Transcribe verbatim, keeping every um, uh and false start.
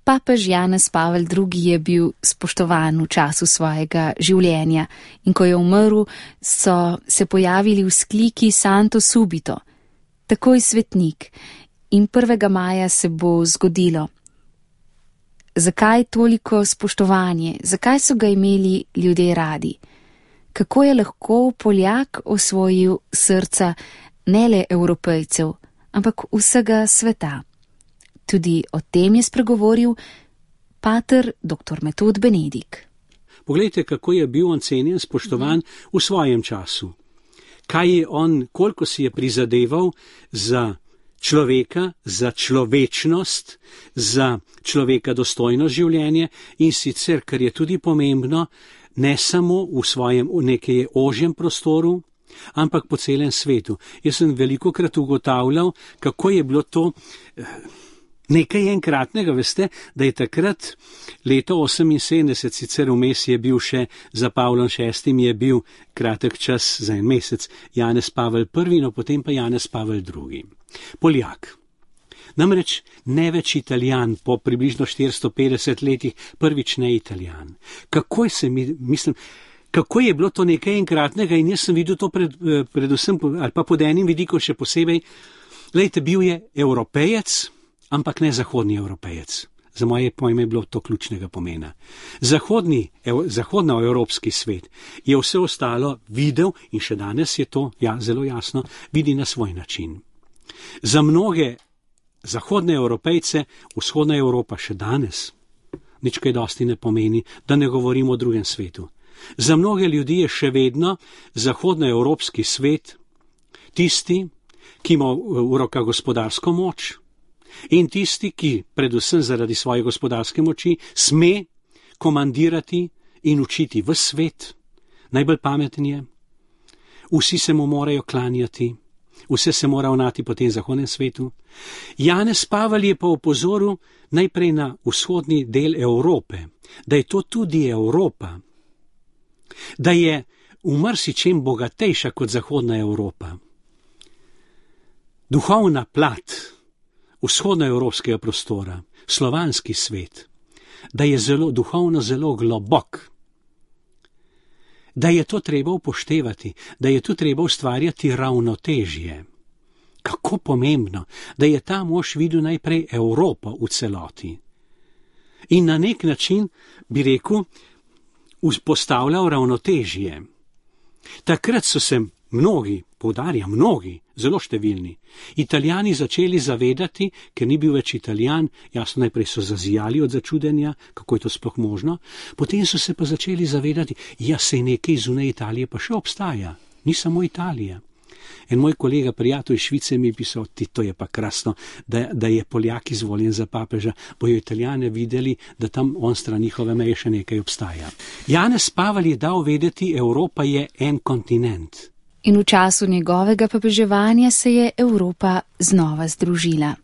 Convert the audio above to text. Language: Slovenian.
Papež Janez Pavel drugi. Je bil spoštovan v času svojega življenja in ko je umrl, so se pojavili vzkliki Santo subito, takoj svetnik, in prvega maja se bo zgodilo. Zakaj toliko spoštovanje? Zakaj so ga imeli ljudje radi? Kako je lahko Poljak osvojil srca ne le Evropejcev, ampak vsega sveta? Tudi o tem je spregovoril pater doktor Metod Benedik. Poglejte, kako je bil on cenjen, spoštovan v svojem času. Kaj je on, koliko si je prizadeval za človeka, za človečnost, za človeka dostojno življenje in sicer, kar je tudi pomembno, ne samo v svojem nekaj ožjem prostoru, ampak po celem svetu. Jaz sem velikokrat ugotavljal, kako je bilo to nekaj enkratnega, veste, da je takrat leto oseminsedemdeset, sicer vmes je bil še za Pavlom šestim, je bil kratek čas za en mesec, Janez Pavel prvi, no potem pa Janez Pavel drugi. Poljak. Namreč ne več Italijan, po približno štiristo petdeset letih prvič ne Italijan. Kako se mi, mislim, kako je bilo to nekaj enkratnega in jaz sem videl to pred, predvsem, ali pa pod enim vidikom še posebej, glejte, bil je Evropejec, ampak ne zahodni Evropejec. Za moje pojme je bilo to ključnega pomena. Zahodni, ev, zahodnoevropski svet je vse ostalo videl in še danes je to ja, zelo jasno, vidi na svoj način. Za mnoge zahodne Evropejce vzhodna Evropa še danes nič kaj dosti ne pomeni, da ne govorimo o drugem svetu. Za mnoge ljudi je še vedno zahodnoevropski svet tisti, ki ima v rokah gospodarsko moč, in tisti, ki predvsem zaradi svoje gospodarske moči sme komandirati in učiti v svet, najbolj pameten je, vsi se mu morajo klanjati, vse se mora ravnati po tem zahodnem svetu. Janez Pavel je pa opozoril najprej na vzhodni del Evrope, da je to tudi Evropa, da je v marsičem bogatejša kot zahodna Evropa. Duhovna plat vzhodnoevropskega prostora, slovanski svet, da je zelo duhovno zelo globok, da je to treba upoštevati, da je tu treba ustvarjati ravnotežje. Kako pomembno, da je ta mož videl najprej Evropo v celoti. In na nek način, bi rekel, vzpostavljal ravnotežje. Takrat so se mnogi, poudarjam mnogi, zelo številni, Italijani začeli zavedati, ker ni bil več Italijan, jasno najprej so zazijali od začudenja, kako je to sploh možno, potem so se pa začeli zavedati, ja, sej nekaj zunaj Italije pa še obstaja, ni samo Italija. En moj kolega, prijatelj iz Švice mi je pisal, ti, to je pa krasno, da, da je Poljak izvoljen za papeža, bojo Italijane videli, da tam on stran njihove meje še nekaj obstaja. Janez Pavel je dal vedeti, Evropa je en kontinent. In v času njegovega papeževanja se je Evropa znova združila.